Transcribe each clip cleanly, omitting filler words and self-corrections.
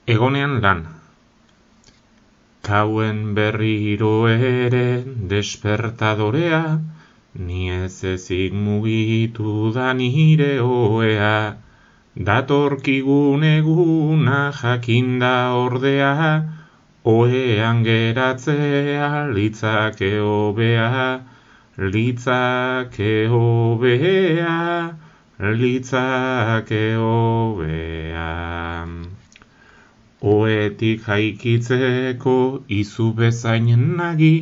Egonean lan. Kauen berriro ere despertadorea, ni ez ezik mugitu da nire ohea. Datorkigun eguna jakinda ordea, ohean geratzea litzake hobea, litzake hobea, litzake hobea. Ohetik jaikitzeko izu bezain nagi,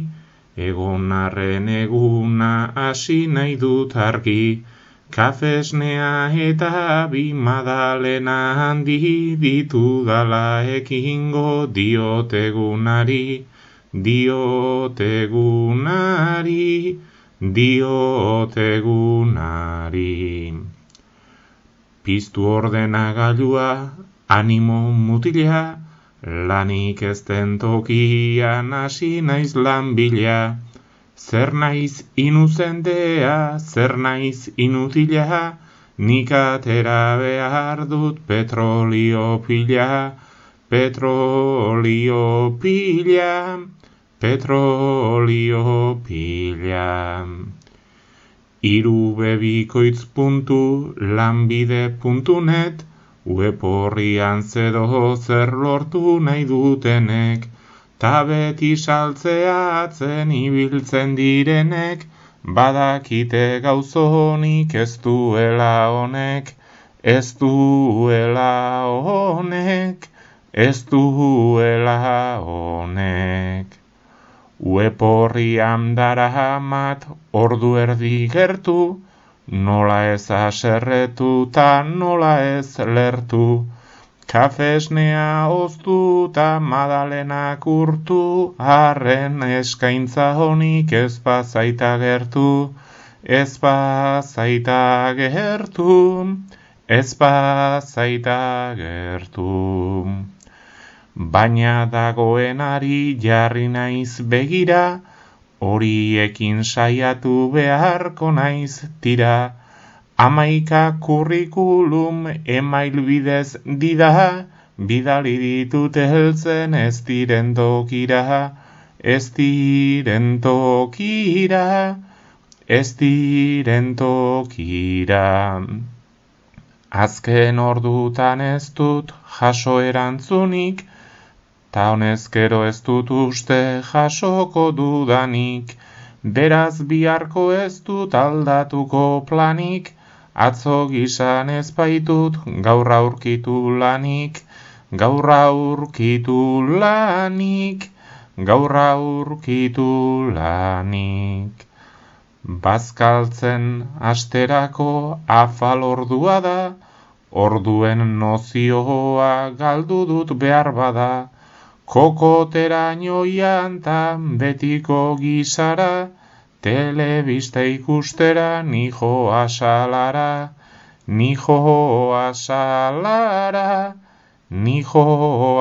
egonarren eguna hasi nahi dut argi. Kafesnea eta bi madalena handi ditudala ekingo diotegunari, diotegunari, diotegunari. Piztu ordenagailua, animo mutila, lanik ez den tokian hasi naiz lan bila. Zer naiz inuzentea, zer naiz inutila, nik atera behar dut petrolio pila, petrolio pila, petrolio pila. irubebikoitz.lanbide.net web horrian zedo zer lortu nahi dutenek, ta beti saltzeatzen ibiltzen direnek, badakite gauzonik ez duela honek, ez duela honek, ez duela honek. Web horrian daramat ordu erdi gertu, nola ez haserretu ta nola ez lertu. Kafesnea oztu ta madalenak urtu, harren eskaintza honik ez bazaita gertu, ez bazaita gertu, ez bazaita gertu. Baina dagoenari jarri naiz begira, horiekin saiatu beharko naiz tira. 11 kurrikulum email bidez dida, bidali ditut heltzen ez diren tokira, ez diren tokira, ez diren tokira. Azken ordutan ez dut jaso erantzunik, ta honezkero ez dut uste jasoko dudanik, beraz biharko ez dut aldatuko planik, atzo gizan ez baitut gaur aurkitu lanik, gaur aurkitu lanik, gaur aurkitu lanik. Bazkaltzen asterako afal ordua da, orduen nozioa galdu dut behar bada, kokoteraino jantan betiko gizara, telebista ikustera nijo asalara, nijo asalara, nijo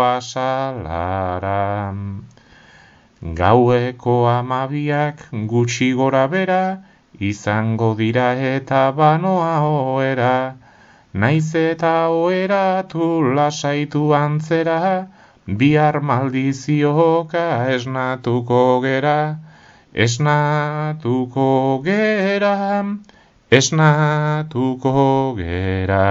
asalara. Gaueko 12 gutxi gora bera, izango dira eta banoa ohera, naiz eta oheratu lasaitu antzera, bihar maldizioka esnatuko gera, esnatuko gera, esnatuko gera.